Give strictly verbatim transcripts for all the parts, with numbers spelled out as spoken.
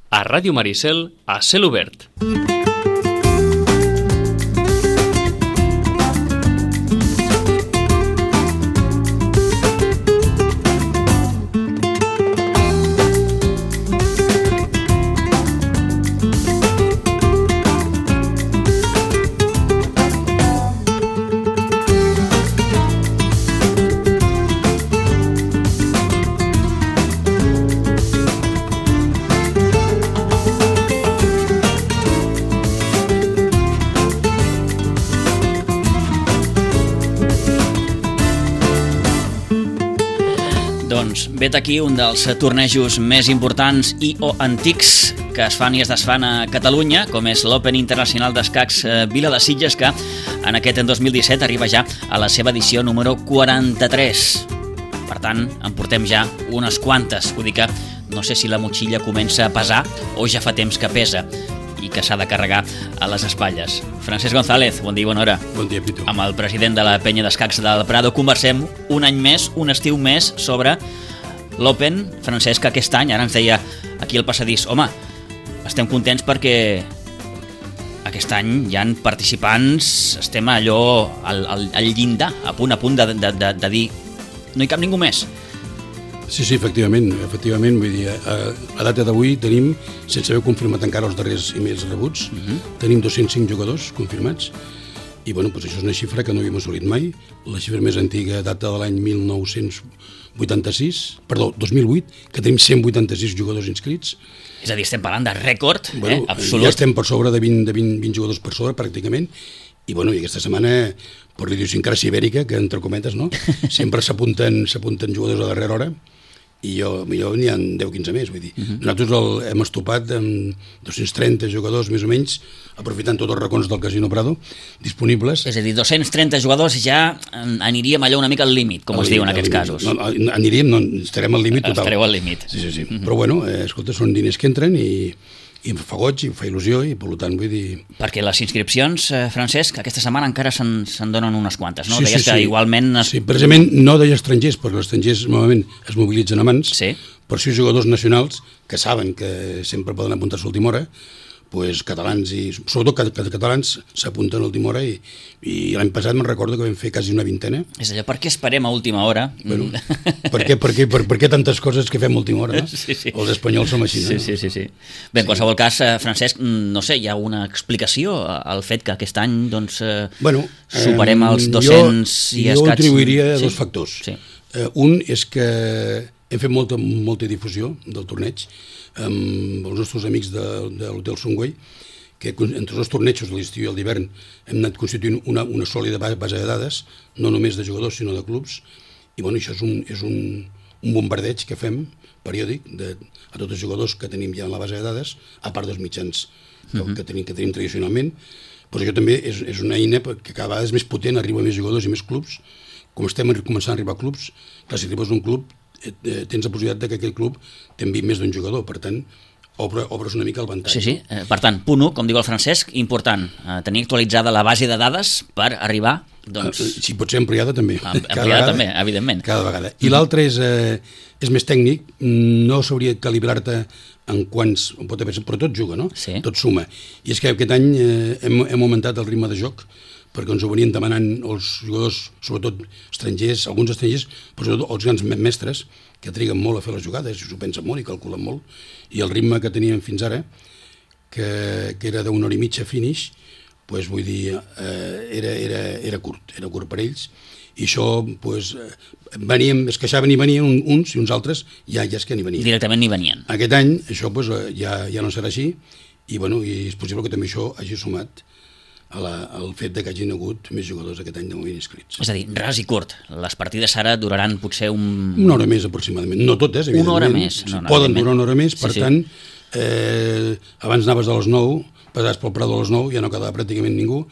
a Ràdio Maricel, a Cel Obert. Doncs vet aquí un dels tornejos més importants i o antics que es fan i es desfan a Catalunya, com és l'Open Internacional d'Escacs Vila de Sitges, que en aquest dos mil disset arriba ja a la seva edició número quaranta-tres. Per tant, en portem ja unes quantes. Vull dir que no sé si la motxilla comença a pesar o ja fa temps que pesa i que s'ha de carregar a les espatlles. Francesc González, bon dia i bona hora. Bon dia, Pitu. Amb el president de la Penya d'Escacs del Prado conversem un any més, un estiu més, sobre l'Open. Francesc, aquest any, ara ens deia aquí al passadís, home, estem contents perquè aquest any hi ha participants, estem allò al, al, al llindar, a punt a punt de, de, de, de dir no hi cap ningú més. Sí, sí, efectivament, efectivament, vull dir, a, a data d'avui tenim, sense haver confirmat encara els darrers emails rebuts, uh-huh. tenim dos-cents cinc jugadors confirmats, i bueno, doncs això és una xifra que no havíem assolit mai. La xifra més antiga data de l'any mil nou-cents vuitanta-sis, perdó, dos mil vuit, que tenim cent vuitanta-sis jugadors inscrits. És a dir, estem parlant de rècord, bueno, eh, absolut. Ja estem per sobre de vint, de vint, vint jugadors per sobre, pràcticament, i bueno, i aquesta setmana, per l'idiosincràsia ibèrica, que entre cometes, no? Sempre s'apunten s'apunten jugadors a darrera hora, i jo, jo n'hi ha deu quinze més, vull dir. Uh-huh. Nosaltres el, hem estopat amb dos-cents trenta jugadors, més o menys, aprofitant tots els racons del Casino Prado, disponibles. És a dir, dos-cents trenta jugadors ja aniríem allò una mica al límit, com es diu en aquests casos. No, aniríem, no, estarem al límit total. Estareu al límit. Sí, sí, sí. Uh-huh. Però bueno, eh, escolta, són diners que entren i... i em fa goig, i em fa il·lusió, i per tant vull dir... Perquè les inscripcions, eh, Francesc, aquesta setmana encara se'n, se'n donen unes quantes, no? Sí, Deies sí, que sí. igualment... Es... Sí, precisament no deia estrangers, perquè els estrangers normalment es mobilitzen a mans, sí. però sí jugadors nacionals que saben que sempre poden apuntar-se a última hora, pues, catalans i sobretot catalans s'apunten a última hora, i, i l'any passat me'n recordo que vam fer quasi una vintena. És allò, per què esperem a última hora? Bueno, per, què, per, què, per, per què tantes coses que fem a última hora, no? Sí, sí. Els espanyols som així, no? Sí, sí, sí, sí. Bé, en qualsevol cas, Francesc, no sé, hi ha una explicació al fet que aquest any doncs, bueno, superem els dos-cents jo, i escaig. Jo atribuiria sí? dos factors. Sí. Uh, un és que hem fet molta, molta difusió del torneig amb els nostres amics de, de l'Hotel Songway, que entre els tornejos de l'estiu i el d'hivern hem anat constituint una, una sòlida base de dades, no només de jugadors sinó de clubs, i bueno, això és un, és un, un bombardeig que fem periòdic de, a tots els jugadors que tenim ja en la base de dades, a part dels mitjans que, uh-huh. que, tenim, que tenim tradicionalment. Però això també és, és una eina que cada vegada és més potent, arriba més jugadors i més clubs. Com estem començant a arribar a clubs, clar, si arribes a un club eh, tens la possibilitat de que aquell club t'enviï més d'un jugador, per tant obre, obres una mica el ventall. Sí, sí. Eh, per tant, punt u, com diu el Francesc, important, eh, tenir actualitzada la base de dades per arribar, doncs... Eh, si pot ser ampliada també. Ampliada vegada, també, evidentment. Cada vegada. I l'altre és, eh, és més tècnic, no s'hauria de calibrar-te en quants, pot haver, però tot juga, no? Sí. Tot suma. I és que aquest any eh, hem, hem augmentat el ritme de joc, perquè ens ho venien demanant els jugadors, sobretot estrangers, alguns estrangers, però sobretot els grans mestres, que triguen molt a fer les jugades, i s'ho pensen molt i calculen molt, i el ritme que teníem fins ara, que, que era d'una hora i mitja finish, pues, vull dir, eh, era, era, era curt, era curt per ells, i això, pues, veníem, es queixaven i venien uns i uns altres, ja, ja és que ni venien. Directament ni venien. Aquest any, això pues, ja, ja no serà així, i, bueno, i és possible que també això hagi sumat a la, al fet de que hagin hagut més jugadors aquest any de moment inscrits. És a dir, ras i curt. Les partides ara duraran potser un... Una hora més aproximadament. No totes, evidentment. Una hora més. No, no, poden durar una hora més, per sí, sí. tant, eh, abans anaves a les nou, passaves pel Prado a les nou, ja no quedava pràcticament ningú.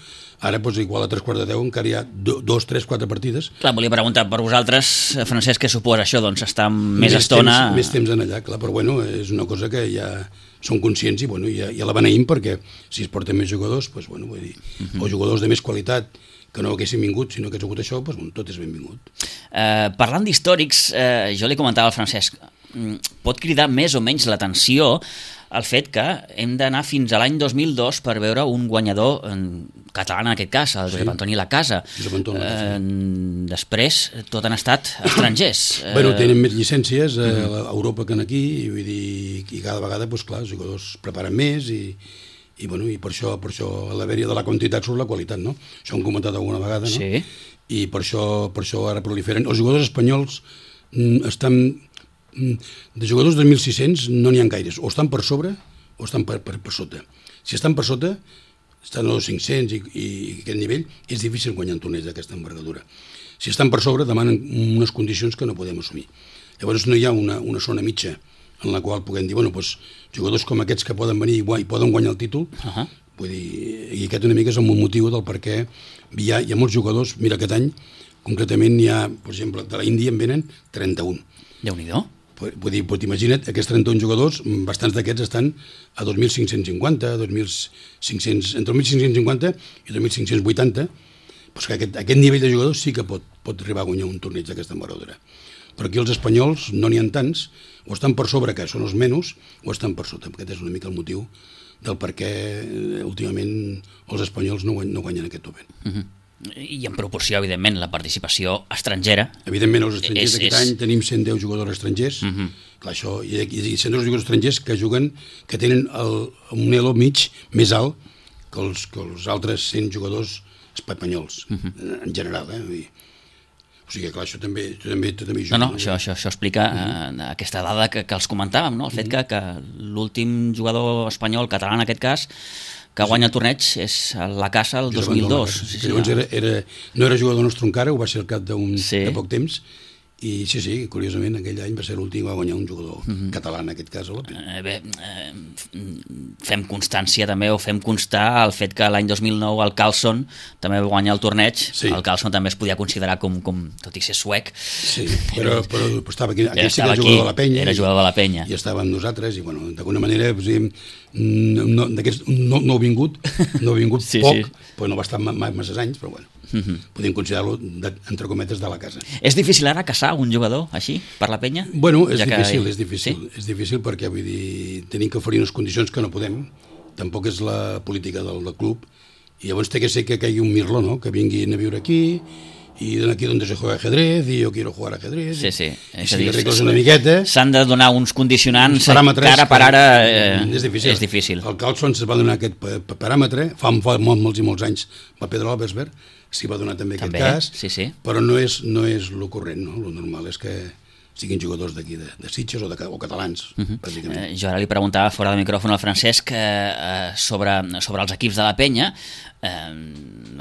Ara, doncs, igual a tres quarts de deu encara hi ha do, dos, tres, quatre partides. Clar, volia preguntar per vosaltres, Francesc, què suposa això? Doncs estar més, més estona... Temps, més temps en allà, clar, però bueno, és una cosa que ja són conscients i bueno, ja, ja la beneïm perquè si es porten més jugadors, doncs, bueno, vull dir, uh-huh. o jugadors de més qualitat que no haguessin vingut, sinó que hagués hagut això, doncs, bueno, tot és benvingut. Eh, parlant d'històrics, eh, jo li comentava al Francesc, pot cridar més o menys l'atenció el fet que hem d'anar fins a l'any dos mil dos per veure un guanyador català, en aquest cas, el Josep Antoni Lacasa. Josep Antoni Lacasa. Eh, després, tot han estat estrangers. Bueno, tenen més llicències a Europa que aquí, i vull dir, i cada vegada, doncs clar, els jugadors preparen més i, i, bueno, i per això, per això a l'haver-hi de la quantitat surt la qualitat, no? Això ho hem comentat alguna vegada, no? Sí. I per això, per això ara proliferen. Els jugadors espanyols estan... De jugadors de mil sis-cents no n'hi ha gaires, o estan per sobre o estan per, per, per sota. Si estan per sota, estan als cinc-cents i, i aquest nivell, és difícil guanyar un torneig d'aquesta envergadura. Si estan per sobre, demanen unes condicions que no podem assumir. Llavors no hi ha una, una zona mitja en la qual puguem dir, bueno, doncs, jugadors com aquests que poden venir i poden guanyar el títol, uh-huh. Vull dir, i aquest una mica és el motiu del per què hi ha, hi ha molts jugadors. Mira, aquest any, concretament, hi ha, per exemple, de la Índia en venen trenta-un. Déu-n'hi-do. Vull dir, pues, imagina't, aquests trenta-un jugadors, bastants d'aquests estan a dos mil cinc-cents cinquanta, dos mil cinc-cents, entre dos mil cinc-cents cinquanta i dos mil cinc-cents vuitanta, doncs que aquest, aquest nivell de jugadors sí que pot, pot arribar a guanyar un torneig d'aquesta envergadura. Però aquí els espanyols no n'hi ha tants, o estan per sobre, que són els menys, o estan per sota. Aquest és una mica el motiu del per què últimament els espanyols no, guany, no guanyen aquest Open. Uh-huh. I en proporció, evidentment, la participació estrangera. Evidentment, els estrangers és, aquest és... any tenim cent deu jugadors estrangers, uh-huh. Clar, això, i, i cent deu jugadors estrangers que juguen, que tenen el, un elo mig més alt que els, que els altres cent jugadors espanyols, uh-huh. En general, eh? Vull dir, o sigui, clar, això també, també, també hi juga. No, no, això, això, això explica uh-huh. eh, aquesta dada que, que els comentàvem, no? El fet uh-huh. que, que l'últim jugador espanyol, català en aquest cas, que guanya el torneig és la Casa el dos mil dos. Sí, sí, llavors era, era, no era jugador nostre encara, ho va ser al cap d'un, sí. de poc temps, i sí, sí, curiosament aquell any va ser l'últim que va guanyar un jugador uh-huh. català, en aquest cas a l'Open. Eh, bé, eh, fem constància també, o fem constar el fet que l'any dos mil nou el Carlson també va guanyar el torneig. Sí. El Carlson també es podia considerar com, com tot i ser suec. Sí, però, però estava aquí, aquí sí que era jugador de la Penya. Era jugador de la Penya. I, i estava amb nosaltres, i bueno, d'alguna manera, no, no, no ha vingut, no ha vingut sí, poc, sí. Però no va estar massa anys, però bueno. Uh-huh. Podem considerar-lo, entre cometes, de la casa. És difícil ara caçar un jugador així, per la Penya? Bueno, és ja difícil, que... és difícil. Sí? És difícil perquè, vull dir, tenim que oferir unes condicions que no podem, tampoc és la política del, del club, i llavors té que ser que caigui un mirlo, no?, que vinguin a viure aquí, i aquí on se juega ajedrez, i jo quiero jugar ajedrez, sí, sí. i si arregles una miqueta... S'han de donar uns condicionants que ara per ara eh, és, difícil. és difícil. El Carlson se va donar aquest paràmetre, fa, fa molts, molts i molts anys va Pedro Albersberg, s'hi va donar també, també aquest cas, sí, sí. Però no és, no és lo corrent, no? Lo normal és que siguin jugadors d'aquí, de, de Sitges o, de, o catalans, uh-huh. bàsicament. Eh, jo ara li preguntava fora de micròfon al Francesc eh, sobre, sobre els equips de la Penya, eh,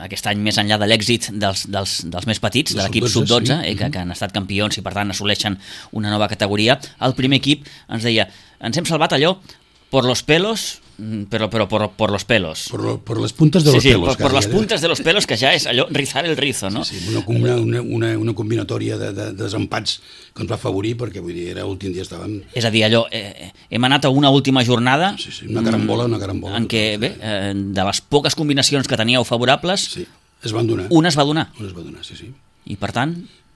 aquest any més enllà de l'èxit dels, dels, dels més petits, de l'equip sub dotze, sí. eh, que, que han estat campions i per tant assoleixen una nova categoria, el primer equip ens deia, ens hem salvat allò por los pelos, pero, pero por, por los pelos. Por, lo, por las puntas de sí, los sí, pelos. Por, por las puntas de los pelos, que ja és allò, rizar el rizo, no? Sí, sí, una, una, una, una combinatòria de, de, de desempats que ens va afavorir, perquè vull dir, era l'últim dia estàvem... És a dir, allò, eh, hem anat a una última jornada... Sí, sí, una carambola, una carambola. En què, bé, eh, de les poques combinacions que teníeu favorables... Sí, es van donar. Una es va donar. Una es va donar, sí, sí. I per tant...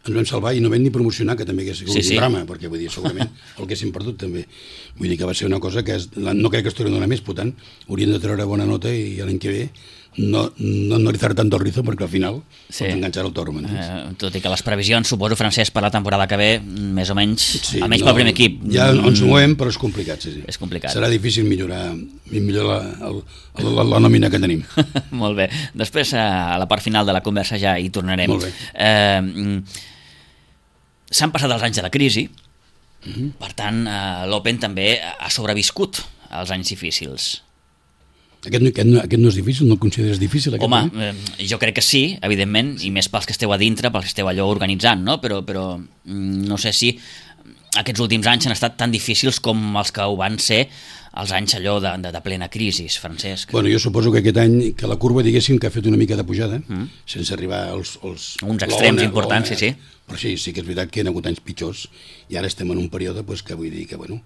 Ens vam salvar i no vam ni promocionar, que també hagués sigut sí, sí. un drama, perquè vull dir, segurament el que haguéssim perdut també. Vull dir que va ser una cosa que és, no crec que es torni a donar més, per tant, hauríem de treure bona nota i l'any que ve no, no, no rizar tant el rizo, perquè al final sí. pots enganxar el toro. Eh, tot i que les previsions, suposo, Francesc, per la temporada que ve, més o menys, sí, almenys no, pel primer equip. Ja ens movem, però és complicat, sí, sí. És complicat. Serà difícil millorar, millorar la, la, la, la nòmina que tenim. Molt bé. Després, a la part final de la conversa ja hi tornarem. Molt bé. Eh, S'han passat els anys de la crisi, uh-huh. per tant, eh, l'Open també ha sobreviscut als anys difícils. Aquest, aquest, no, aquest no és difícil? No el consideres difícil? Home, eh, jo crec que sí, evidentment, sí. I més pels que esteu a dintre, pels que esteu allò organitzant, no? Però, però no sé si aquests últims anys han estat tan difícils com els que ho van ser els anys allò de, de, de plena crisi, Francesc. Bueno, jo suposo que aquest any, que la curva, diguéssim, que ha fet una mica de pujada, mm. sense arribar als... als uns extrems importants, sí, sí. Però sí, sí que és veritat que hi ha hagut anys pitjors, i ara estem en un període pues, que vull dir que, bueno,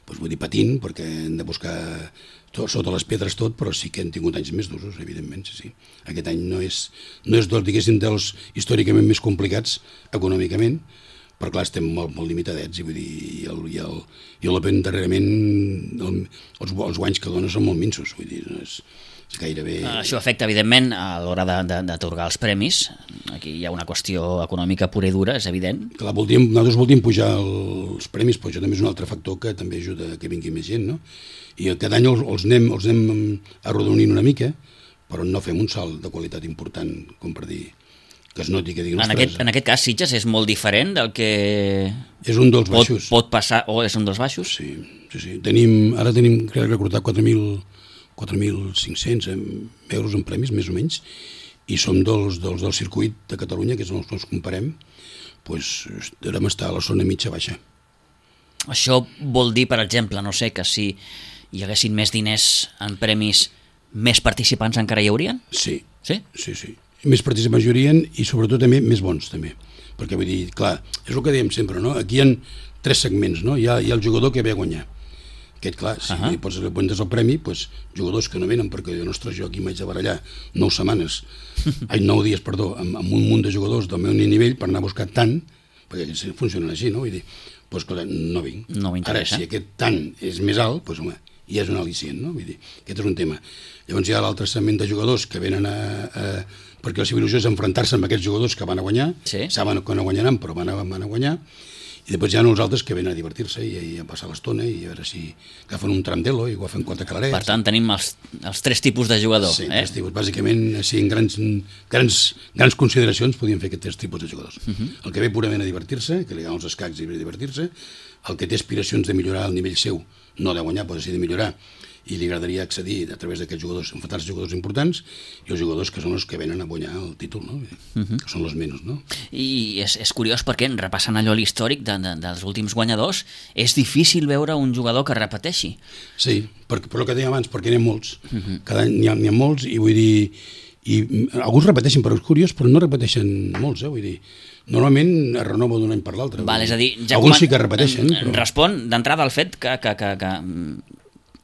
pues, vull dir patint, perquè hem de buscar tot, sota les pedres tot, però sí que hem tingut anys més durs, evidentment, sí, sí. Aquest any no és, no és dels, diguéssim, dels històricament més complicats econòmicament, però clar, estem molt, molt limitadets, i vull dir, i el, i el, i l'Open darrerament, el, els, els guanys que dona són molt minsos, vull dir, no és, és gairebé... Això afecta, evidentment, a l'hora d'atorgar els premis. Aquí hi ha una qüestió econòmica pura i dura, és evident. Clar, voldríem, nosaltres voldríem pujar els premis, però això també és un altre factor que també ajuda a que vingui més gent, no? I cada any els, els, anem, els anem arrodonint una mica, però no fem un salt de qualitat important, com per dir, que es noti, que diguin... En aquest, en aquest cas, Sitges és molt diferent del que... És un dels pot, baixos. Pot passar, o és un dels baixos? Sí, sí, sí. Tenim, ara tenim, crec recordar, quatre mil cinc-cents euros en premis, més o menys, i som dels, dels del circuit de Catalunya, que és on ens comparem, doncs devem estar a la zona mitja-baixa. Això vol dir, per exemple, no sé, que si hi haguessin més diners en premis, més participants encara hi haurien? Sí, sí, sí, sí. Més participants hi haurien i sobretot també més bons, també. Perquè vull dir, clar, és el que dèiem sempre, no? Aquí hi ha tres segments, no? Hi ha, hi ha el jugador que ve a guanyar. Aquest, clar, si uh -huh. li pots apuntes el premi, doncs, jugadors que no venen, perquè jo, ostres, jo aquí m'haig de barallar nou setmanes, ai, nou dies, perdó, amb, amb un munt de jugadors del meu nivell per anar a buscar tant, perquè funcionen així, no? Vull dir, doncs, clar, no vinc. No Ara, si aquest tant és més alt, doncs, home, ja és un al·licient, no? Vull dir, aquest és un tema. Llavors hi ha l'altre segment de jugadors que venen a... a perquè la seva il·lusió és enfrontar-se amb aquests jugadors que van a guanyar, sí. saben que no guanyaran, però van a, van a guanyar, i després hi ha uns altres que venen a divertir-se i, i a passar l'estona i a veure si agafen un tramdelo i agafen quatre calarets. Per tant, tenim els, els tres tipus de jugador. Sí, eh? tres tipus. Bàsicament, sí, en grans, grans, grans consideracions podríem fer aquests tres tipus de jugadors. Uh -huh. El que ve purament a divertir-se, que li agafen els escacs i ve a divertir-se, el que té aspiracions de millorar el nivell seu, no de guanyar, però sí de millorar, i li agradaria accedir a través d'aquests jugadors, enfrontar-se jugadors importants, i els jugadors que són els que venen a guanyar el títol, no? Uh -huh. Que són els menys, no? I és, és curiós perquè, repassant allò l'històric de, de, dels últims guanyadors, és difícil veure un jugador que repeteixi. Sí, per, per el que deia abans, perquè n'hi ha molts. Uh -huh. Cada any n'hi ha, n'hi ha molts, i vull dir... I alguns repeteixen, però és curiós, però no repeteixen molts, eh? Vull dir, normalment es renova d'un any per l'altre. Val, és a dir, ja alguns coment... sí que repeteixen. Però... Respon d'entrada al fet que... que, que, que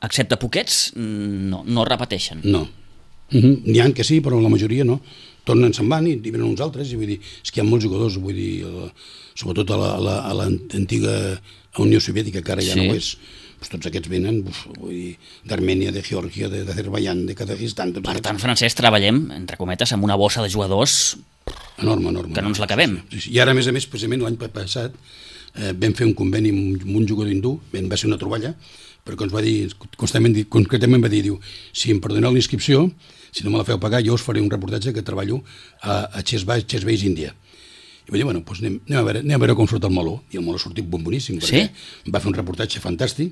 excepte poquets, no, no repeteixen. No. Uh -huh. N'hi ha que sí, però la majoria no. Tornen, se'n van i, i venen uns altres, i vull dir, és que hi ha molts jugadors, vull dir, la, sobretot a l'antiga Unió Soviètica, que ara ja sí. no ho és, doncs tots aquests venen, uf, vull dir, d'Armènia, de Geòrgia, d'Azerbaiyán, de Kazakistan... Per aquests. Tant, Francesc, treballem, entre cometes, amb una bossa de jugadors enorme, enorme, que no ens l'acabem. Sí, sí. I ara, a més a més, precisament l'any passat, eh, vam fer un conveni amb, amb un jugador hindú, va ser una troballa, perquè ens va dir, constantment, concretament va dir, diu, si em perdoneu la inscripció, si no me la feu pagar, jo us faré un reportatge que treballo a, a Chess Base, Índia. I va dir, bueno, doncs anem, anem, a veure, anem a veure com surt el meló. I el meló ha sortit boníssim, perquè sí? va fer un reportatge fantàstic,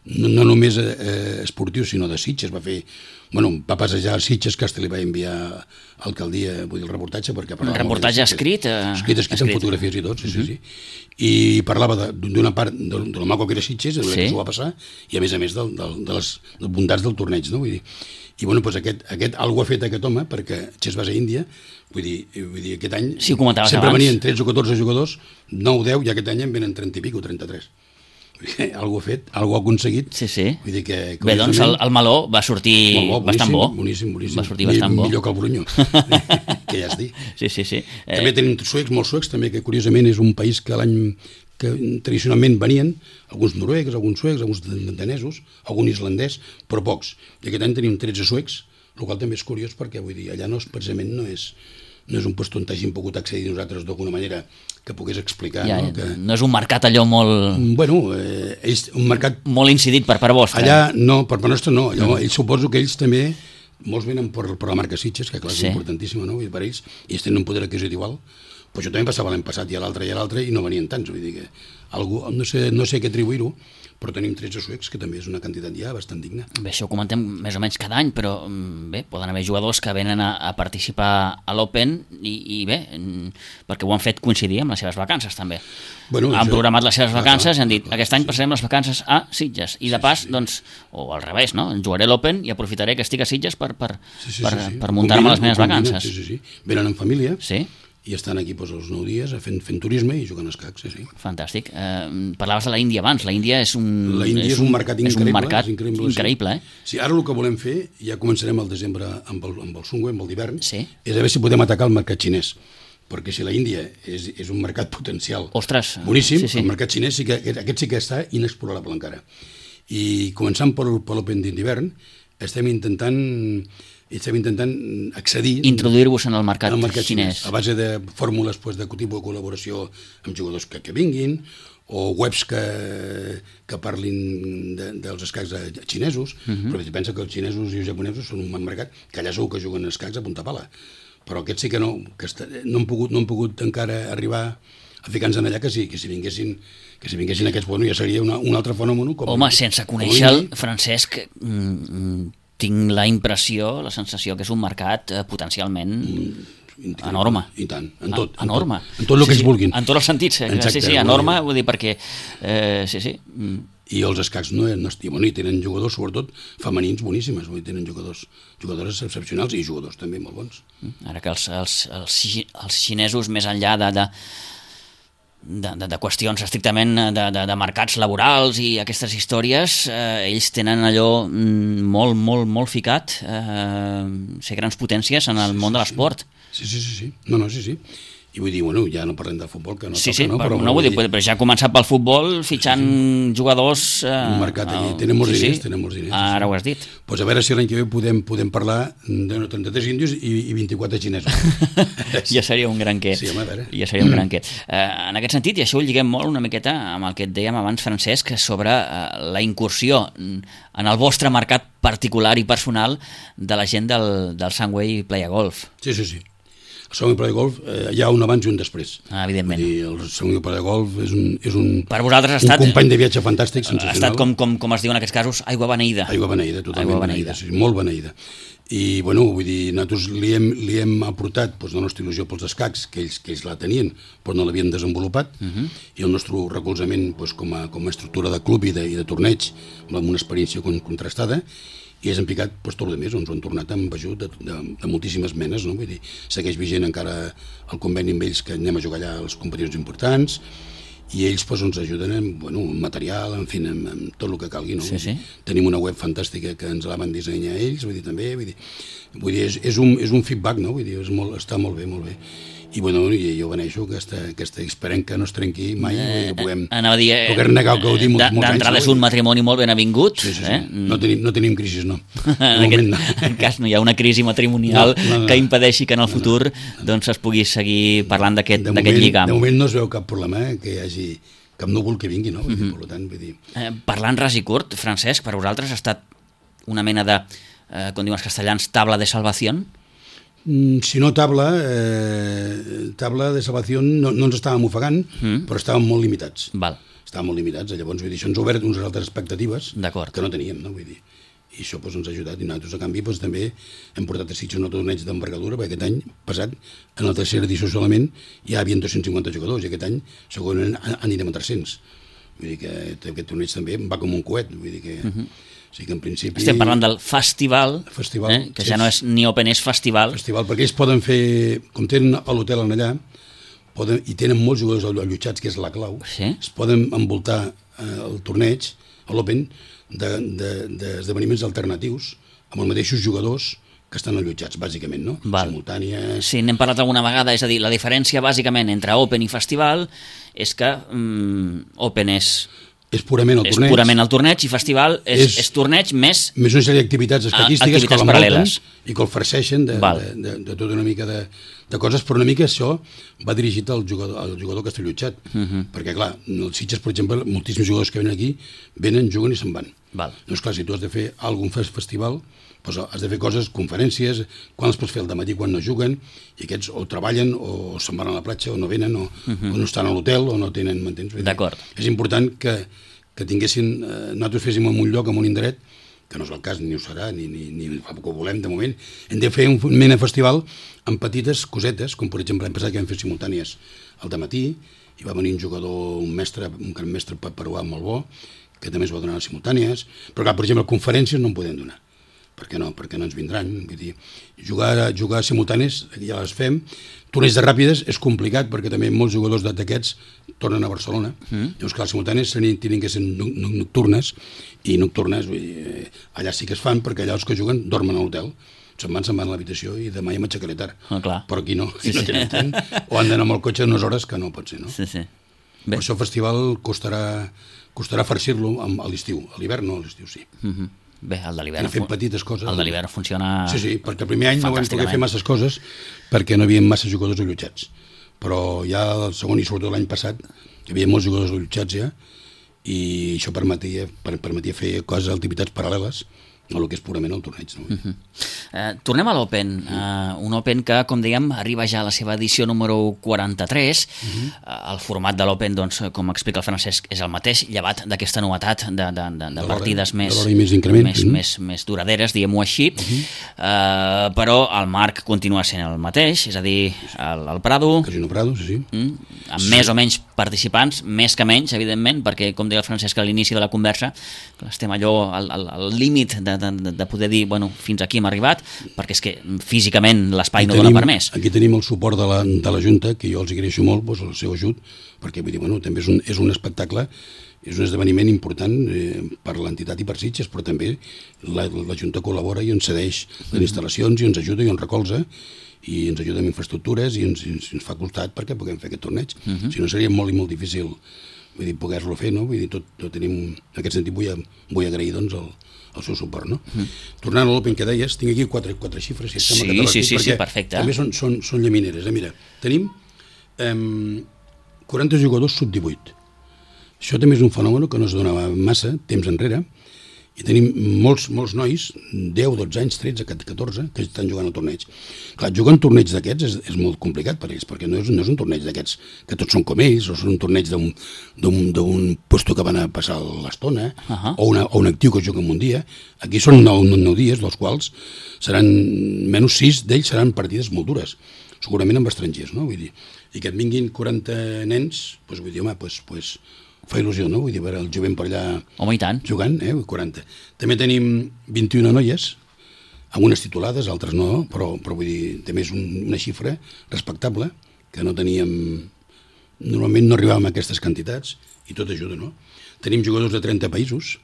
no, no només eh, esportiu, sinó de Sitges. Va fer, bueno, va passejar a Sitges, que hasta li va enviar a l'alcaldia, vull dir, el reportatge, perquè un reportatge escrit, eh, escrit, escrit, escrit, amb fotografies i tot, sí, uh -huh. sí, sí. I parlava d'una part de, de la maco que era Sitges, de sí. que s'ho va passar, i a més a més de, de, de les bondats del torneig, no? Vull dir, i bueno, doncs aquest, aquest algo ha fet aquest home, perquè Chess Base Índia, vull dir, vull dir aquest any sí, sempre abans. venien tretze o catorze jugadors, nou o deu, i aquest any en venen trenta i pico, trenta-tres. Algo ha fet, algo ha aconseguit. Sí, sí. Vull dir que, bé, doncs el, el meló va sortir bo, bastant bo. Boníssim, boníssim. Va sortir bastant bo. Millor que el Brunyó, que ja es dic. Sí, sí, sí. També eh... tenim suecs, molts suecs, també, que curiosament és un país que l'any que tradicionalment venien, alguns noruecs, alguns suecs, alguns danesos, algun islandès, però pocs. I aquest any tenim tretze suecs, el qual també és curiós perquè, vull dir, allà no és, precisament no és, no és un lloc on hàgim pogut accedir nosaltres d'alguna manera que pogués explicar. Ja, no? Que... no és un mercat allò molt... Bueno, eh, ells, un mercat... Molt incidit per part vostra. Allà no, per part nostra no. Allà, mm. ells suposo que ells també, molts venen per, per la marca Sitges, que clar, és sí. importantíssima, no? I per ells, ells tenen un poder adquisitiu igual. Però això també passava l'any passat i a l'altre i a l'altre i no venien tants, vull dir que algú, no sé, no sé què atribuir-ho, però tenim tretze suecs, que també és una quantitat ja bastant digna. Bé, això ho comentem més o menys cada any, però bé, poden haver jugadors que venen a, a participar a l'Open i, i bé, perquè ho han fet coincidir amb les seves vacances també. Bueno, han això... programat les seves vacances i han dit, aquest any passarem les vacances a Sitges i de pas, sí, sí. doncs, o al revés, no? Jugaré l'Open i aprofitaré que estic a Sitges per, per, sí, sí, per, sí, sí. per muntar-me les meves vacances. Sí, sí, sí. Venen en família. Sí. I estan aquí doncs, els nou dies fent, fent turisme i jugant a escacs. Sí, sí. Fantàstic. Eh, parlaves de la Índia abans. La Índia és un, la Índia és un, és un mercat increïble. És un mercat és increïble, increïble sí. eh? Sí, ara el que volem fer, ja començarem al desembre amb el, amb el Sungwe, amb el d'hivern, sí. és a veure si podem atacar el mercat xinès, perquè si la Índia és, és un mercat potencial Ostres, boníssim, sí, sí. el mercat xinès sí que, aquest sí que està inexplorable encara. I començant per, per l'Open d'hivern, estem intentant estem intentant accedir... Introduir-vos en el mercat, en el mercat xinès. xinès. A base de fórmules pues, de tipus de col·laboració amb jugadors que, que vinguin, o webs que, que parlin de, dels escacs xinesos, uh -huh. però pensa que els xinesos i els japonesos són un mercat que allà segur que juguen escacs a punta pala. Però aquests sí que no, que està, no, han pogut, no han pogut encara arribar a ficar-nos en allà, que si, que si vinguessin que si vinguessin aquests, bueno, ja seria una, un altre fenòmeno. Com Home, sense conèixer el Francesc, mm, tinc la impressió, la sensació que és un mercat eh, potencialment mm, enorme. I tant, en tot. Enorme. En tot, en tot el sí, que sí, ells vulguin. En tots els sentits, eh? Exacte, sí, sí, enorme, vull dir, perquè... Eh, sí, sí. Mm. I els escacs no, no i, bueno, i tenen jugadors, sobretot femenins, boníssimes, vull dir, tenen jugadors, jugadores excepcionals i jugadors també molt bons. Ara que els, els, els, els xinesos, més enllà de... de De, de, de qüestions estrictament de, de, de mercats laborals i aquestes històries, eh, ells tenen allò molt, molt, molt ficat, eh, ser grans potències en el sí, món sí, de l'esport. Sí, sí, sí, sí. No, no, sí, sí. I vull dir, bueno, ja no parlem de futbol, que no sí, toca, sí, no? Però, però, no vull dir, dir, però ja ha començat pel futbol fitxant sí, sí. jugadors... Eh, un mercat allí, tenen molts sí, diners, sí. tenen molts diners. Ara sí. ho has dit. Pues a veure si l'any que ve podem, podem parlar de trenta-tres índios i, i vint-i-quatre xinesos. Ja seria un gran què. Sí, home, a veure. Ja seria un gran què. Eh, en aquest sentit, i això ho lliguem molt una miqueta amb el que et dèiem abans, Francesc, sobre eh, la incursió en el vostre mercat particular i personal de la gent del, del Sunway Playa Golf. Sí, sí, sí. El Sunway Playa Golf eh, hi ha un abans i un després. Ah, evidentment. Dir, el Sunway Playa Golf és un, és un, per vosaltres ha un estat, company de viatge fantàstic, sensacional. Ha estat, com, com, com es diu en aquests casos, aigua beneïda. Aigua beneïda, totalment aigua beneïda, sí, molt beneïda. I, bueno, vull dir, nosaltres li hem, li hem aportat doncs, la nostra il·lusió pels escacs, que ells, que ells la tenien, però no l'havien desenvolupat, uh -huh. i el nostre recolzament doncs, com, a, com a estructura de club i de, i de torneig, amb una experiència contrastada, i és empicat doncs, tot el més, ens ho han tornat amb ajut de, de, de moltíssimes menes, no? Vull dir, segueix vigent encara el conveni amb ells que anem a jugar allà a les competicions importants, i ells doncs, ens ajuden amb, bueno, amb material, en fi, amb, amb tot el que calgui. No? Sí, sí. Tenim una web fantàstica que ens la van dissenyar ells, vull dir, també, vull dir, vull dir és, és, un, és un feedback, no? Vull dir, és molt, està molt bé, molt bé. I bueno, jo beneixo aquesta, aquesta esperem que no es trenqui mai, eh, que puguem, anava a dir, eh, puguem negar el que ho dic molts, molts anys. D'entrada és un matrimoni molt ben avingut. Sí, sí, sí. Eh? No, tenim, no tenim crisis, no. En aquest no. En cas no hi ha una crisi matrimonial no, no, no. que impedeixi que en el futur no, no. doncs es pugui seguir parlant d'aquest lligam. De moment no es veu cap problema eh, que hi hagi cap núvol que vingui, no? Vull dir, uh-huh. per tant, vull dir... Eh, parlant ras i curt, Francesc, per vosaltres ha estat una mena de, eh, com diuen els castellans, tabla de salvació? Si no tabla, eh, tabla de salvació no, no ens estàvem ofegant, mm. però estàvem molt limitats. Val. Estàvem molt limitats, llavors vull dir, això ens ha obert unes altres expectatives que no teníem, no? Vull dir. I això doncs, ens ha ajudat, i nosaltres a canvi doncs, també hem portat a Sitges un torneig d'envergadura, perquè aquest any passat, en la tercera edició solament, hi havia dos-cents cinquanta jugadors, i aquest any segurament anirem a tres-cents. Vull dir que aquest torneig també va com un coet, vull dir que... Uh-huh. O sigui que en principi... Estem parlant del festival, festival eh, que sí, ja no és ni Open, és festival. Festival, perquè ells poden fer, com tenen a l'hotel allà, poden, i tenen molts jugadors allotjats, que és la clau, sí? es poden envoltar eh, el torneig, l'Open, d'esdeveniments de, de, alternatius, amb els mateixos jugadors que estan allotjats, bàsicament, no? Val. Simultànies... Sí, n'hem parlat alguna vegada, és a dir, la diferència bàsicament entre Open i festival és que mm, Open és... És purament el torneig. És purament el torneig i festival és, és, és torneig més... Més una sèrie d'activitats estadístiques que l'envolten i que el farceixen de, de, de, de tota una mica de, de coses, però una mica això va dirigit al jugador, al jugador que està allotjat. Uh-huh. Perquè, clar, els Sitges, per exemple, moltíssims jugadors que venen aquí, venen, juguen i se'n van. Val. Doncs, clar, si tu has de fer algun festival, doncs has de fer coses, conferències, quan els pots fer al dematí quan no juguen, i aquests o treballen o se'n van a la platja o no venen o, uh-huh. o no estan a l'hotel o no tenen, m'entens? D'acord. És important que, que tinguessin, eh, nosaltres féssim en un lloc, en un indret, que no és el cas, ni ho serà, ni, ni, ni fa poc ho volem de moment, hem de fer un mena festival amb petites cosetes, com per exemple l'any passat que vam fer simultànies al dematí, i va venir un jugador, un mestre, un gran mestre peruà molt bo, que també es va donar les simultànies, però clar, per exemple, conferències no en podem donar. Per què no? Perquè no ens vindran. Vull dir, jugar, jugar simultànies, ja les fem. Torneig de ràpides és complicat perquè també molts jugadors d'aquests tornen a Barcelona. Mm. Llavors, clar, les simultànies tenen que ser nocturnes, i nocturnes, vull dir, allà sí que es fan perquè allà els que juguen dormen a l'hotel, se'n van, se'n van a l'habitació i demà ja m'aixecaré tard. Ah, clar. Però aquí no, Sí, aquí no sí. tenen tren, o han d'anar amb el cotxe unes hores que no pot ser, no? Sí, sí. Bé. Per això el festival costarà, costarà farcir-lo a l'estiu, a l'hivern no, a l'estiu sí. Uh-huh. Bé, el de l'hivern... Hem fet petites coses. El de l'hivern funciona... Sí, sí, perquè el primer any no vam poder fer masses coses perquè no hi havia massa jugadors allotjats. Però ja el segon i sobretot l'any passat hi havia molts jugadors allotjats ja i això permetia, permetia fer coses, activitats paral·leles a el que és purament el torneig. No? Uh-huh. uh, tornem a l'Open, uh, un Open que, com dèiem, arriba ja a la seva edició número quaranta-tres. Uh-huh. uh, el format de l'Open, doncs, com explica el Francesc, és el mateix, llevat d'aquesta novetat de, de, de, de partides més, més, més, més, més duraderes, diguem-ho així, uh-huh. uh, però el marc continua sent el mateix, és a dir, el, el Prado... Casino Prado, sí, sí. Mm, amb sí. més o menys participants, més que menys, evidentment, perquè, com deia el Francesc a l'inici de la conversa, estem allò al, al, al límit de De, de poder dir, bueno, fins aquí hem arribat, perquè és que físicament l'espai no dona per més. Aquí tenim el suport de la, de la Junta, que jo els agraeixo molt, doncs, el seu ajut, perquè vull dir, bueno, també és un, és un espectacle, és un esdeveniment important eh, per l'entitat i per Sitges, però també la, la Junta col·labora i ens cedeix les instal·lacions i ens ajuda i ens recolza i ens ajuda amb infraestructures i ens, ens, ens fa costat perquè puguem fer aquest torneig. Uh-huh. Si no seria molt i molt difícil vull dir, poder-lo fer, no? Vull dir, tot, tot tenim, en aquest sentit vull, vull agrair doncs, el, el seu suport, no? Mm. Tornant a l'Open que deies, tinc aquí quatre, quatre xifres, si et sembla sí, que te les sí, dic, sí, perquè sí, perfecte. també són, són, són llamineres. Eh? Mira, tenim eh, quaranta jugadors sub divuit. Això també és un fenomen que no es donava massa temps enrere, i tenim molts, molts nois, deu, dotze anys, tretze, catorze, que estan jugant al torneig. Clar, jugar un torneig d'aquests és, és molt complicat per ells, perquè no és, no és un torneig d'aquests que tots són com ells, o són un torneig d'un puesto que van a passar l'estona, uh-huh. o, una, o un actiu que juga en un dia. Aquí són nou, nou dies, dels quals seran, menys sis d'ells seran partides molt dures, segurament amb estrangers, no? Vull dir, i que et vinguin quaranta nens, doncs vull dir, home, doncs... doncs fa il·lusió, no? Vull dir, veure el jovent per allà Home, i tant. jugant, eh? quaranta. També tenim vint-i-una noies, algunes titulades, altres no, però, però vull dir, també és un, una xifra respectable, que no teníem... Normalment no arribàvem a aquestes quantitats, i tot ajuda, no? Tenim jugadors de trenta països,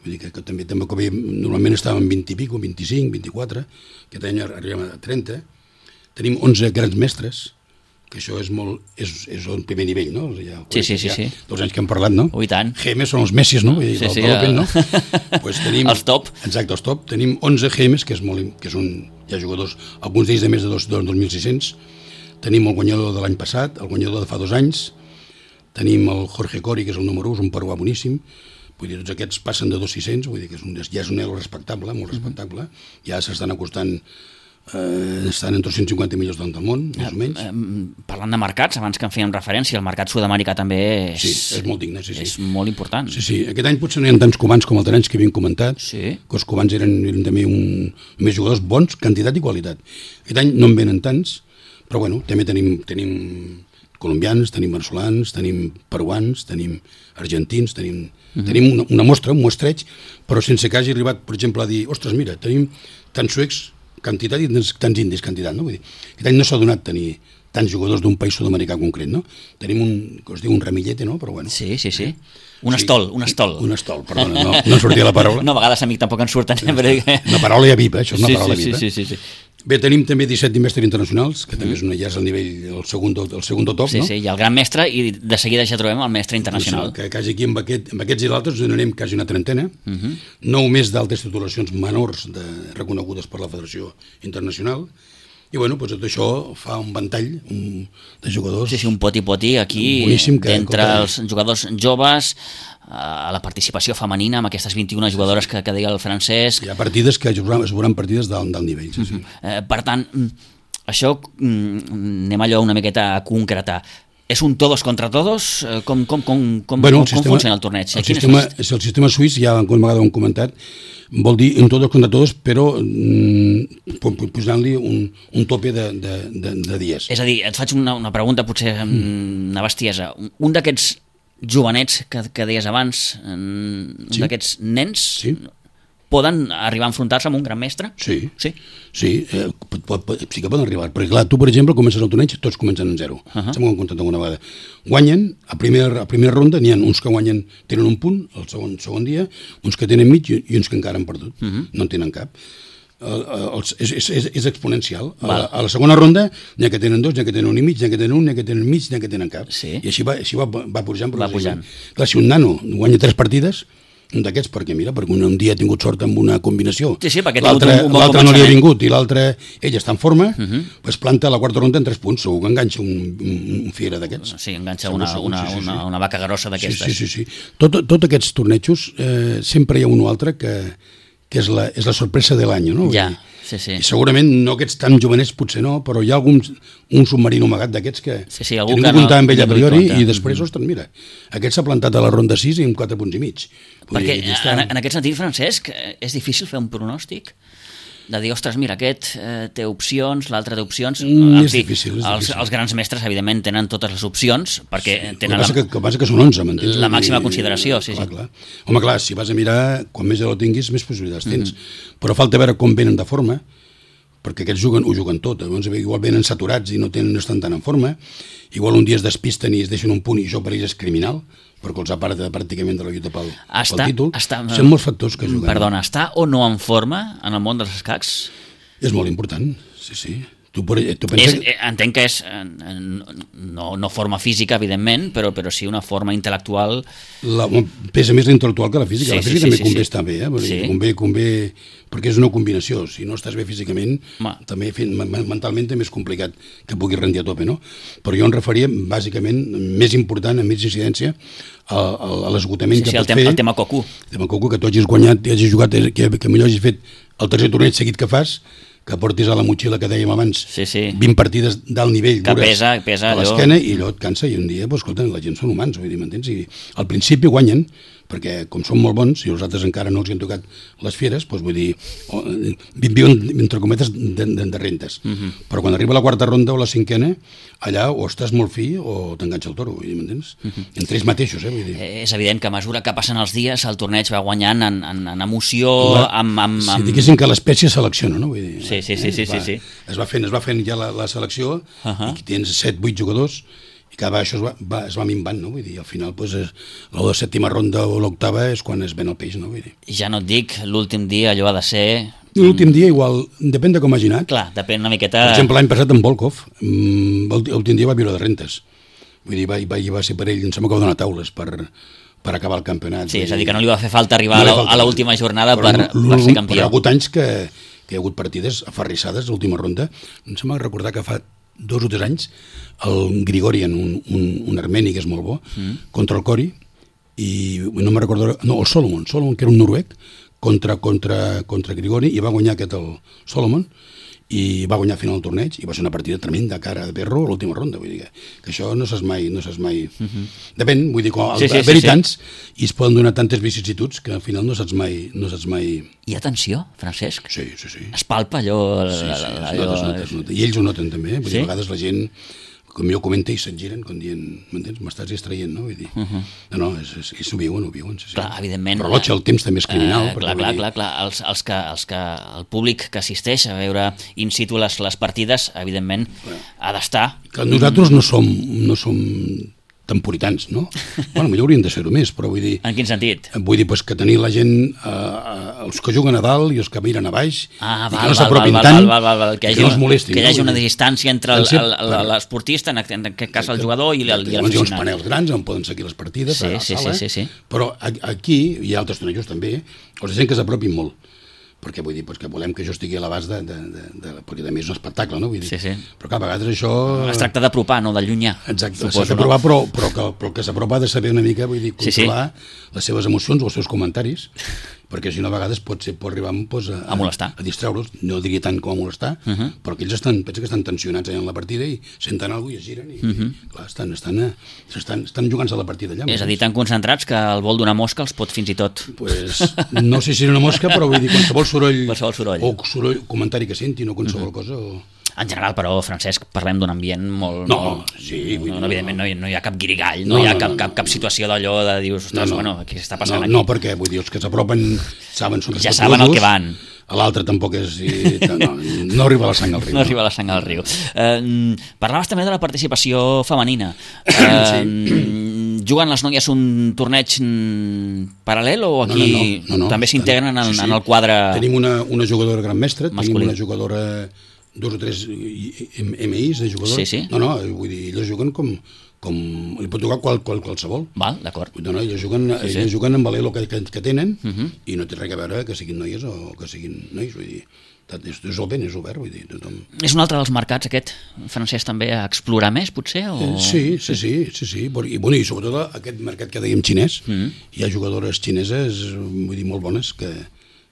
vull dir que, que també, també com veiem, normalment estàvem vint i pico, vint-i-cinc, vint-i-quatre, aquest any arribem a trenta. Tenim onze grans mestres, que això és molt, és, és el primer nivell, no? Ja, sí, sí, sí, sí. Dos anys que hem parlat, no? Oh, i tant. G Ms són els Messis, no? Vull dir, sí, sí, el, el, el... no? Pues tenim, els top. Exacte, els top. Tenim onze G Ms, que és molt, que és un, hi ha jugadors, alguns d'ells de més de dos mil sis-cents. Tenim el guanyador de l'any passat, el guanyador de fa dos anys. Tenim el Jorge Cori, que és el número u, és un peruà boníssim. Vull dir, tots aquests passen de dos mil sis-cents, vull dir que és un, ja és un elo respectable, molt respectable. Ja s'estan acostant... Uh, estan entre cent cinquanta milions del món, més o menys. Uh, parlant de mercats, abans que en fèiem referència, el mercat sud-americà també és, sí, és molt digne, sí, sí. És molt important. Sí, sí. Aquest any potser no hi ha tants cubans com els anys que havíem comentat, sí. que els cubans eren, eren també un, més jugadors bons, quantitat i qualitat. Aquest any no en venen tants, però bueno, també tenim, tenim colombians, tenim veneçolans, tenim peruans, tenim argentins, tenim, uh-huh. tenim una, una mostra, un mostreig, però sense que hagi arribat, per exemple, a dir, ostres, mira, tenim tants suecs, quantitat i tants, tants indis quantitat, no? Vull dir, aquest any no s'ha donat tenir tants jugadors d'un país sud-americà concret, no? Tenim un, que es diu un ramillete, no? Però bueno. Sí, sí, sí. Un estol, un estol. Un estol, perdona, no, no em sortia la paraula. No, a vegades a mi tampoc en surten. Però... Una paraula ja viva, això és una sí, paraula sí, viva. Sí, sí, sí, sí. Bé, tenim també disset mestres internacionals, que també és una, ja és el nivell, el segon, el segon top, sí, no? Sí, sí, i el gran mestre, i de seguida ja trobem el mestre internacional. Que quasi aquí amb, aquest, amb aquests i l'altres donarem quasi una trentena, uh-huh. nou més d'altres titulacions menors de, reconegudes per la Federació Internacional, i bueno, doncs tot això fa un ventall un, de jugadors... Sí, sí, un poti-poti aquí, d'entre els jugadors joves, a la participació femenina amb aquestes vint-i-una jugadores que, que deia el Francesc. Hi ha partides que es veuran partides d'alt nivell, sí, sí. Uh-huh. eh, per tant, això anem allò una miqueta a concretar. És un todos contra todos? Com, com, com, com, bueno, com, sistema, com funciona el torneig? El sistema, és el sistema suís, ja alguna vegada ho hem comentat, vol dir un todos contra todos, però mm, posant-li un, un tope de, de, de, de dies. És a dir, et faig una, una pregunta, potser mm. una bestiesa. Un d'aquests jovenets que, que deies abans, un sí. d'aquests nens... Sí. Poden arribar a enfrontar-se amb un gran mestre? Sí, sí, sí, eh, pot, pot, sí que poden arribar, perquè clar, tu per exemple comences el torneig, tots comencen en zero, uh-huh. S'ho hem comptat alguna vegada. Guanyen, a primera, a primera ronda n'hi ha uns que guanyen, tenen un punt, el segon, segon dia, uns que tenen mig i, i uns que encara han perdut, uh-huh. No en tenen cap. el, el, és, és, és exponencial. A la, a la segona ronda n'hi ha que tenen dos, n'hi ha que tenen un i mig, n'hi ha que tenen un, n'hi ha que tenen mig, n'hi ha que tenen cap. Sí. I així va, així va, va pujant. Va pujant. Clar, si un nano guanya tres partides, un d'aquests, perquè mira, perquè un, un dia ha tingut sort amb una combinació, sí, sí, l'altre un, un bon no li ha vingut i l'altre, ell està en forma, uh -huh. pues planta la quarta ronda en tres punts, segur que enganxa un, un, un fiera d'aquests. Sí, enganxa una, segur, una, sí, sí, sí. Una, una vaca grossa d'aquestes. Sí, sí, sí. sí. Tot, tot aquests tornejos, eh, sempre hi ha un o altre que, que és, la, és la sorpresa de l'any, no? Ja, sí, sí. I segurament no aquests tan jovenets potser no, però hi ha algun un submarino amagat d'aquests que, sí, sí, que ningú ningú comptava amb ell a priori compta. I després, mm -hmm. ostres, mira, aquest s'ha plantat a la ronda sis i amb quatre punts i mig. Vull Perquè dir, està... en, en aquest sentit, Francesc, és difícil fer un pronòstic? De dir, ostres, mira, aquest eh, té opcions, l'altre té opcions... Mm, en és fi, difícil, és els, difícil. Els grans mestres, evidentment, tenen totes les opcions, perquè Sí, tenen el que, la, que, que passa que són onze, m'entens? la màxima consideració, sí, clar, sí. Clar. Home, clar, si vas a mirar, quan més ja ho tinguis, més possibilitats tens. Mm -hmm. Però falta veure com venen de forma, perquè aquests juguen, ho juguen tot. Llavors, igual venen saturats i no, tenen, no estan tan en forma, igual un dia es despisten i es deixen un punt i això per ells és criminal, perquè els aparta pràcticament de la lluita pel, està, pel títol. Està, Són molts factors que juguen. Perdona, està o no en forma en el món dels escacs? És molt important, sí, sí. Tu, tu penses... És, entenc que és no, no forma física, evidentment, però, però sí una forma intel·lectual. La, pesa més l'intel·lectual que la física. Sí, la física sí, també sí, convé sí. estar bé, eh? Sí. Convé, convé, perquè és una combinació. Si no estàs bé físicament, Ma. també fent, mentalment també és complicat que puguis rendir a tope, no? Però jo em referia, bàsicament, més important, amb més incidència, a, a, a l'esgotament Sí, que sí, pot el tema, fer... el tema coco. El tema coco, que tu hagis guanyat, i hagis jugat, que, que millor hagis fet el tercer torneig seguit que fas, que portis a la motxilla que dèiem abans Sí, sí. vint partides d'alt nivell Que dures pesa, pesa a allò. l'esquena i allò et cansa i un dia, doncs, escolta, la gent són humans, vull dir, m'entens? I al principi guanyen, perquè com són molt bons i els altres encara no els han tocat les fieres, doncs vull dir, o, viuen, entre cometes, de, de, de rentes. Uh -huh. Però quan arriba la quarta ronda o la cinquena, allà o estàs molt fi o t'enganxa el toro, vull dir, m'entens? Uh -huh. Entre ells mateixos, eh, vull dir. És evident que a mesura que passen els dies el torneig va guanyant en, en, en emoció, La, amb... amb, amb... Si diguéssim que l'espècie selecciona, no? Vull dir, Sí, sí, sí, sí, es va, sí, sí. Es va fent, es va fent ja la, la selecció, Uh -huh. i tens set, vuit jugadors, i cada vegada això es va, va, es va minvant, no? Vull dir, al final, doncs, és, la sèptima ronda o l'octava és quan es ven el peix, no? Vull dir. Ja no et dic, l'últim dia allò ha de ser... L'últim dia igual, depèn de com hagi anat. Clar, depèn una miqueta... Per exemple, l'any passat en Volkov, l'últim dia va viure de rentes. Vull dir, va, va, va ser per ell, em sembla que va donar taules per, per acabar el campionat. Sí, és a dir, que no li va fer falta arribar No a falta. l'última jornada Però per, per ser campió. Però hi ha hagut anys que, que hi ha hagut partides aferrissades a l'última ronda. Em sembla recordar que fa dos o tres anys el Grigorian, un, un, un armeni que és molt bo, mm. contra el Cori, i no me'n recordo... No, el Solomon, Solomon, que era un noruec, contra, contra, contra Grigori, i va guanyar aquest el Solomon, i va guanyar al final el torneig, i va ser una partida tremenda, cara de perro, a l'última ronda, vull dir que, que això no saps mai, no saps mai... Uh -huh. Depèn, vull dir, quan Sí, sí, haver-hi sí, sí. tants, i es poden donar tantes vicissituds que al final no saps mai... No saps mai... Hi ha tensió, Francesc? Sí, sí, sí. Es palpa allò... Sí, sí, es allò... nota, es nota, es nota. I ells ho noten també, eh? Vull dir, Sí? a vegades la gent, com jo comenta, i se't giren, com dient, m'entens, m'estàs distraient, no? Vull dir, uh -huh. no, no, és, és, és, ho viuen, ho viuen, sí, sí. Clar, evidentment. El rellotge, el temps també és criminal. Eh, clar, clar, clar, clar. Els, els que, els que, el públic que assisteix a veure in situ les, les partides, evidentment, clar. ha d'estar... Que nosaltres no som, no som tan puritans, no? Bueno, millor hauríem de ser-ho més, però vull dir... En quin sentit? Vull dir pues, que tenir la gent, eh, els que juguen a dalt i els que miren a baix, Ah, i val, que no val, s'apropin val, tant, val, val, val, que, hi hagi, que no es molestin. que hi hagi no? una Vull dir, distància entre el- Potser, el- el- per- l'esportista, en en aquest cas el jugador, i el- i Llavors hi ha uns l'aficionat. panels grans on poden seguir les partides, Sí, a la sí, sala, sí, sí, sí. però a- aquí, hi ha altres tornejos també, els gent que s'apropin molt, perquè vull dir pues, que volem que això estigui a l'abast de, de, de, de, perquè també és un espectacle, no? Vull dir, Sí, sí. però clar, a vegades això... Es tracta d'apropar, no d'allunyar. Exacte, s'ha suposo, d'aprovar, però, però, que, però que s'apropa ha de saber una mica, vull dir, Sí, sí. controlar les seves emocions o els seus comentaris, perquè si no a vegades pot, ser, pot arribar pues, a, A molestar. a distreure'ls, no diria tant com a molestar, uh -huh. però que ells estan, pensa que estan tensionats allà en la partida i senten alguna cosa i es giren i, uh -huh. i clar, estan, estan, eh, estan, estan jugant-se la partida allà. És a dir, tan concentrats que el vol d'una mosca els pot fins i tot... Pues, no sé si era una mosca, però vull dir, qualsevol soroll, Qualsevol soroll. o soroll, comentari que sentin o qualsevol uh -huh. cosa... O... En general, però, Francesc, parlem d'un ambient molt... No, molt... sí, vull dir, no, no, evidentment no. no hi, no hi ha cap guirigall, no, No, hi ha no, cap, no, cap, no, cap no. situació d'allò de dius, ostres, bueno, què està passant no, aquí? No, perquè vull dir, els que s'apropen saben, són Ja saben el que van. A l'altre tampoc és... I, no, no arriba la sang al riu. No arriba la sang al riu. Eh, parlaves també de la participació femenina. Eh, Sí. juguen les noies un torneig paral·lel o aquí no, no, no, no, també s'integren en, sí, sí. en el quadre tenim una, una jugadora gran mestra, masculí. Tenim una jugadora, dos o tres M Is de jugadors. Sí, sí. No, no, vull dir, elles juguen com, com li pot jugar qual, qual, qualsevol. Val, d'acord. No, no, elles juguen, sí, sí. Elles juguen amb l'elo que, que, que tenen uh -huh. i no té res a veure que siguin noies o que siguin nois, vull dir, és, és open, és obert, vull dir, tothom... És un altre dels mercats aquest, Francesc, també a explorar més, potser? O... Eh, sí, sí, sí, sí, sí. I, bueno, i sobretot aquest mercat que dèiem xinès, uh -huh. hi ha jugadores xineses, vull dir, molt bones, que,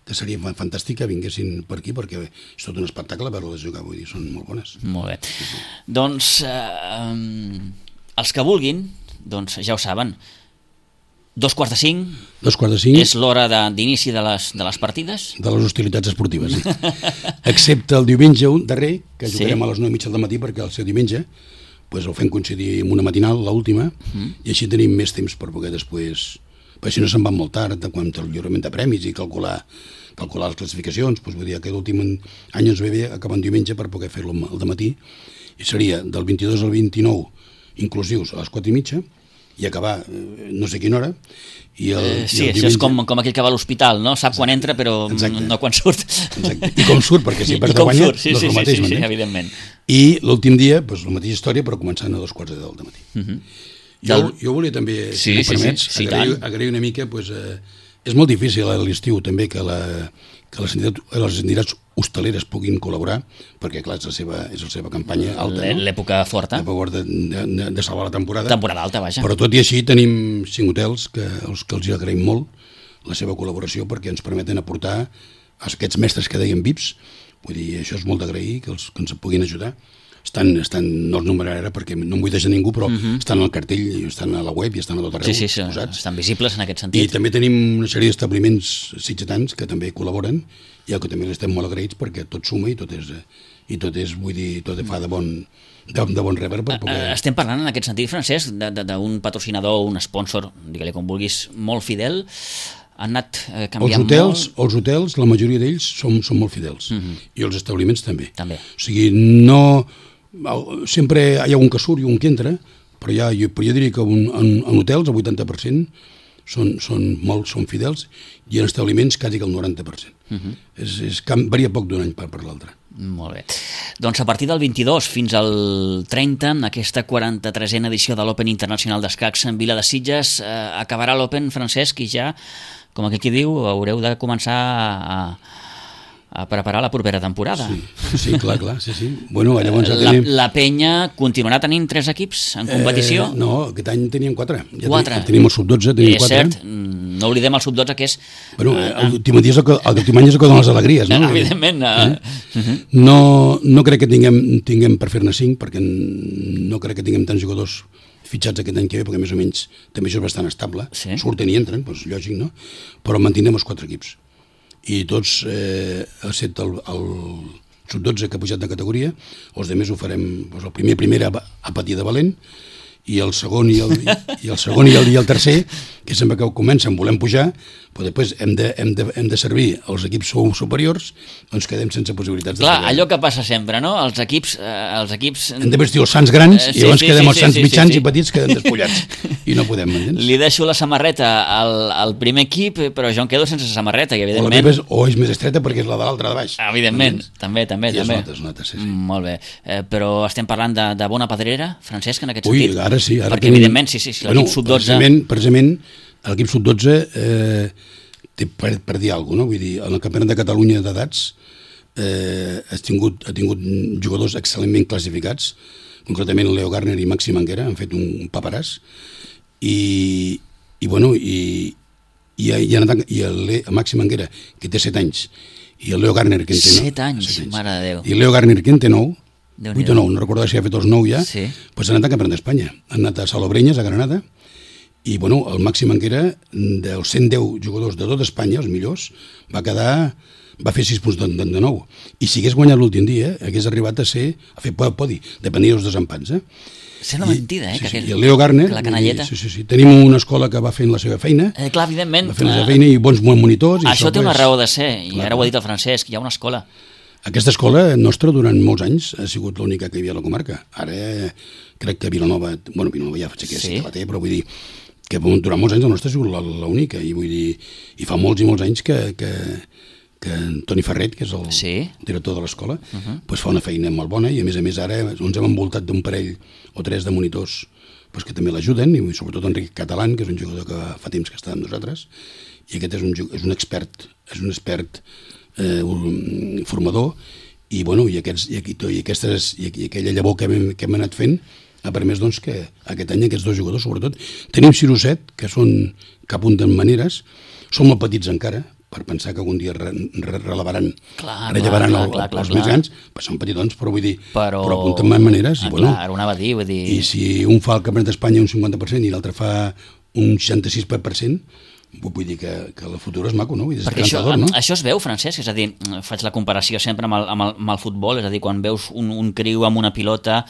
que seria fantàstic que vinguessin per aquí, perquè és tot un espectacle veure-les jugar, vull dir, són molt bones. Molt bé. Sí, sí. Doncs, eh, um, els que vulguin, doncs ja ho saben, dos quarts de cinc, dos quarts de cinc és l'hora d'inici de, de, les, de les partides? De les hostilitats esportives, sí. Excepte el diumenge darrer, que jugarem sí. a les nou i mitja del matí, perquè el seu diumenge pues, el fem coincidir amb una matinal, l'última, uh-huh. i així tenim més temps per poder després... Perquè si no se'n van molt tard, quan el lliurament de premis i calcular, calcular les classificacions, doncs, vull dir, aquest últim any ens ve bé acabar en diumenge per poder fer-lo al dematí, i seria del vint-i-dos al vint-i-nou inclusius a les quatre i mitja, i acabar eh, no sé quina hora, i el, eh, sí, i el això diumenge... és com, com aquell que va a l'hospital, no? Sap quan entra però Exacte. no quan surt. Exacte. I com surt, perquè si perds de guanya sí, no és sí, el mateix, sí, sí, sí, evidentment. I l'últim dia, doncs, la mateixa història, però començant a dos quarts de deu del matí. Uh -huh. jo, jo volia també, sí, si em sí, permets, sí, sí, agrair, agrair una mica, doncs, eh, és molt difícil a l'estiu també que, la, que les, entitats, les entitats hostaleres puguin col·laborar, perquè clar, és la seva, és la seva campanya alta, no? L'època forta. L'època de, de, de salvar la temporada. Temporada alta, vaja. Però tot i així tenim cinc hotels que, els que els agraïm molt la seva col·laboració perquè ens permeten aportar aquests mestres que deien V I Ps. Vull dir, això és molt d'agrair, que, els, que ens puguin ajudar. Estan, estan, no els numeraré ara perquè no em vull deixar ningú, però uh -huh. estan al cartell, estan a la web i estan a tot arreu. Sí, sí, posats. Estan visibles en aquest sentit. I també tenim una sèrie d'establiments sitgetans que també col·laboren i que també estem molt agraïts perquè tot suma i tot és, i tot és vull dir, tot fa de bon, de, de bon rebre per poder... Estem parlant en aquest sentit, Francesc, d'un patrocinador, un sponsor, digue-li com vulguis, molt fidel. Han anat eh, canviant els hotels, molt... Els hotels, la majoria d'ells són, són molt fidels. Uh -huh. I els establiments també. També. O sigui, no... Sempre hi ha un que surt i un que entra, però, ja, jo, però jo diria que un, en, en hotels el vuitanta per cent són, són, molt, són fidels i en establiments quasi que el noranta per cent. Uh -huh. és, és, varia poc d'un any per, per l'altre. Molt bé. Doncs a partir del vint-i-dos fins al trenta, en aquesta quaranta-tresena edició de l'Open Internacional d'Escacs en Vila de Sitges, eh, acabarà l'Open, Francesc, i ja, com aquí diu, haureu de començar a... a preparar la propera temporada. Sí, sí, clar, clar, sí, sí. Bueno, llavors ja la, tenim... la penya continuarà tenint tres equips en competició? Eh, no, aquest any teníem quatre. Ja quatre? Tenim, tenim el sub dotze, tenim és quatre. cert, no oblidem el sub dotze, que és... Bueno, l'últim any és el que donen les alegries, no? Evidentment. Eh? Uh -huh. no, no crec que tinguem, tinguem per fer-ne cinc, perquè no crec que tinguem tants jugadors fitxats aquest any que ve, perquè més o menys també això és bastant estable. Sí. Surten i entren, doncs lògic, no? Però mantindrem els quatre equips. I tots, eh, excepte el, el sub dotze que ha pujat de categoria, els altres ho farem, doncs el primer primera a patir de valent, i el segon i el, i el, segon i el, i el tercer, que sempre que comencen volem pujar, però després hem de, hem de, hem de servir els equips superiors, doncs quedem sense possibilitats. Clar, de allò que passa sempre, no? Els equips... Eh, els equips... Hem de vestir els sants grans eh, sí, i llavors sí, quedem sí, els sants sí, mitjans sí, sí. i petits queden despullats. I no podem, m'entens? Li deixo la samarreta al, al primer equip, però jo em quedo sense samarreta, i evidentment... O la teva és, o és més estreta perquè és la de l'altra de baix. Evidentment, també, també. I també. es nota, es nota, sí, sí. Mm, molt bé. Eh, però estem parlant de, de bona pedrera, Francesc, en aquest Ui, sentit? ara sí. Ara Perquè tenim... evidentment, sí, sí, sí l'equip bueno, sub dotze... Precisament, precisament l'equip sub dotze eh, té per, per dir alguna cosa, no? Vull dir, en el Campionat de Catalunya d'edats eh, ha, tingut, ha tingut jugadors excel·lentment classificats, concretament Leo Garner i Maxi Manguera han fet un paperàs, i, i bueno, i, i, i, i el, el Maxi Manguera, que té set anys, i el Leo Garner, que en té nou... set anys, mare de Déu. I el Leo Garner, que en té nou, vuit o nou, no recordo si ha fet els nou ja, sí. Pues han anat a Campionat d'Espanya. Han anat a Salobreñas, a Granada, i bueno, el Maxi Manguera, dels cent deu jugadors de tot Espanya, els millors, va quedar... va fer sis punts de, de, de nou. I si hagués guanyat l'últim dia, hagués arribat a ser a fer podi, depenia dels desempats. Eh? Sembla mentida, eh? Sí, que sí. aquell, I el Leo Garner, la canalleta. Sí, sí, sí. Tenim una escola que va fent la seva feina, eh, clar, evidentment. va fent la seva feina i bons monitors. I això això té una pues, raó de ser, i clar, ara ho ha dit el Francesc, hi ha una escola. Aquesta escola nostra durant molts anys ha sigut l'única que hi havia a la comarca. Ara crec que Vilanova, bueno, Vilanova ja faig que sí que la té, però vull dir, que durant molts anys el nostre ha sigut l'única, i vull dir, i fa molts i molts anys que, que, que Toni Ferret, que és el sí. director de l'escola, uh -huh. pues fa una feina molt bona, i a més a més ara ens hem envoltat d'un parell o tres de monitors pues, que també l'ajuden, i sobretot Enric Catalán, que és un jugador que fa temps que està amb nosaltres, i aquest és un, és un expert, és un expert eh, un formador, i, bueno, i, aquests, i, i, aquestes, i, i aquella llavor que hem, que hem anat fent ha permès doncs, que aquest any aquests dos jugadors, sobretot, tenim sis o set, que són que apunten maneres, són molt petits encara, per pensar que algun dia re, re, relevaran, clar, rellevaran clar, el, clar, clar, els clar. més grans, però són petitons, però vull dir, però, però apunten maneres. Ah, I, bueno, clar, anava a dir, vull dir... I si un fa el Campionat d'Espanya un cinquanta per cent i l'altre fa un seixanta-sis per cent, vull dir que, que el futur és maco, no? Vull dir, perquè això, no? això es veu, Francesc, és a dir, faig la comparació sempre amb el, amb el, amb el futbol, és a dir, quan veus un, un criu amb una pilota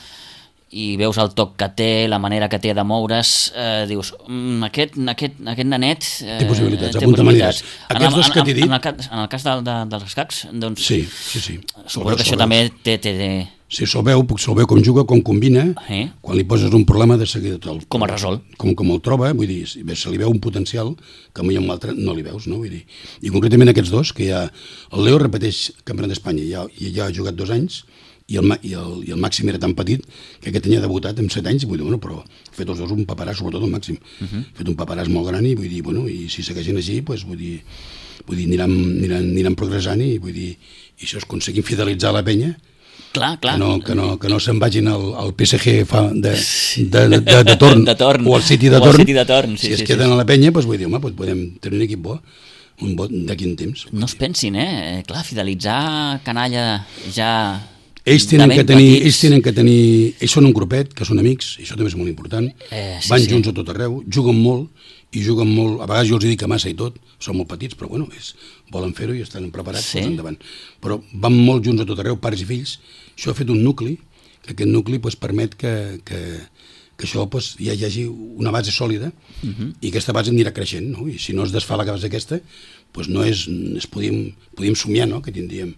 i veus el toc que té, la manera que té de moure's, eh, dius, mm, aquest, aquest, aquest nanet eh, té possibilitats, té apunta possibilitats. maneres. Aquests dos que t'he dit... En el, cas, en el cas de, de, dels escacs, doncs... Sí, sí, sí. Suposo que això també té... té, té... Sí, se'l veu, se'l veu com juga, com combina, eh? quan li poses un problema de seguida el, com el resol. Com, com el troba, vull dir, se li veu un potencial que mai amb l'altre no li veus, no? Vull dir, i concretament aquests dos, que ja, el Leo repeteix Campionat d'Espanya, ja, ja ha jugat dos anys, i el, i, el, i el Màxim era tan petit que aquest any ha debutat amb set anys, vull dir, bueno, però ha fet els dos un paperàs, sobretot el Màxim, uh -huh. ha fet un paperàs molt gran, i vull dir, bueno, i si segueixen així, pues, vull dir, vull dir aniran, aniran, aniran progressant, i vull dir, i això es aconseguim fidelitzar la penya, clar, clar. que no, que no, que no se'n vagin al, al P S G fa de, de, de, de, de, torn, de torn, o al City de o torn, City de torn sí, si es sí, queden sí. a la penya, pues, vull dir, home, pues, podem tenir un equip bo, un bo d'aquí en temps. No es pensin, eh? Clar, fidelitzar canalla ja... Ells tenen, que tenir, ells tenen que tenir... Ells són un grupet, que són amics, i això també és molt important. Eh, sí, Van sí. junts a tot arreu, juguen molt, i juguen molt... A vegades jo els dic que massa i tot, són molt petits, però bueno, és, volen fer-ho i estan preparats, sí. doncs endavant. Però van molt junts a tot arreu, pares i fills. Això ha fet un nucli, que aquest nucli pues, permet que, que, que això pues, ja hi hagi una base sòlida, uh -huh. i aquesta base anirà creixent, no? I si no es desfà la base aquesta, pues no és... Es podíem, podíem somiar, no?, que tindríem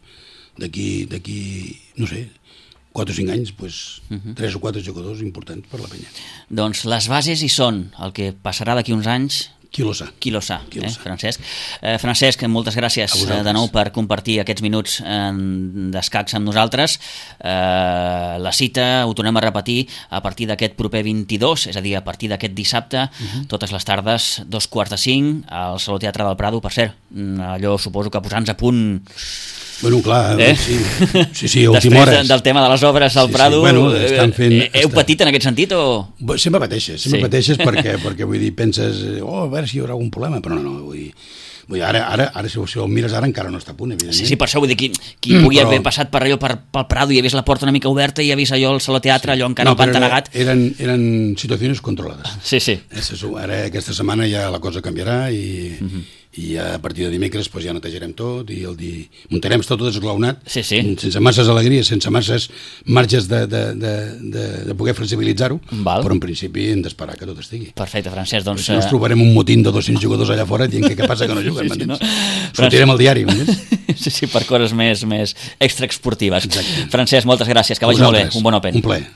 d'aquí, d'aquí, no sé, quatre o cinc anys, pues, uh-huh. tres o quatre jugadors importants per la penya. Doncs les bases hi són, el que passarà d'aquí uns anys... Qui lo sa. Qui lo sa, Qui lo eh, sa. Francesc. Eh, Francesc, moltes gràcies de nou per compartir aquests minuts eh, d'escacs amb nosaltres. Eh, la cita, ho tornem a repetir, a partir d'aquest proper vint-i-dos, és a dir, a partir d'aquest dissabte, uh-huh. totes les tardes, dos quarts de cinc, al Saló Teatre del Prado. Per cert, allò suposo que posant-nos a punt... Bueno, clar, eh? sí, sí, sí, a Després última hora. del tema de les obres al sí, Prado, sí. Bueno, estan fent, eh, heu patit en aquest sentit o...? Sempre pateixes, sempre sí. pateixes perquè, perquè vull dir, penses, oh, a veure si hi haurà algun problema, però no, no, vull dir, vull dir ara, ara, ara si, si ho mires ara encara no està a punt, evidentment. Sí, sí, per això vull dir, qui, qui mm, pugui però... haver passat per allò, per, pel Prado i ha vist la porta una mica oberta i ha vist allò al Saló Teatre, sí. allò encara no, el pantanegat... Eren, eren situacions controlades. Sí, sí. Ara aquesta setmana ja la cosa canviarà i... Uh -huh. i a partir de dimecres pues, ja netejarem tot i el di... muntarem tot desglaonat, sí, sí. sense masses alegries, sense masses marges de, de, de, de, de poder flexibilitzar-ho, però en principi hem d'esperar que tot estigui. Perfecte, Francesc. Doncs, si no ens trobarem un motín de dos-cents jugadors allà fora dient que què passa que no juguen, sí, sí, no? Sortirem al diari, m'entens? Sí, sí, per coses més, més extraesportives. Exacte. Francesc, moltes gràcies, que vagi molt bé, un bon Open. Un plaer.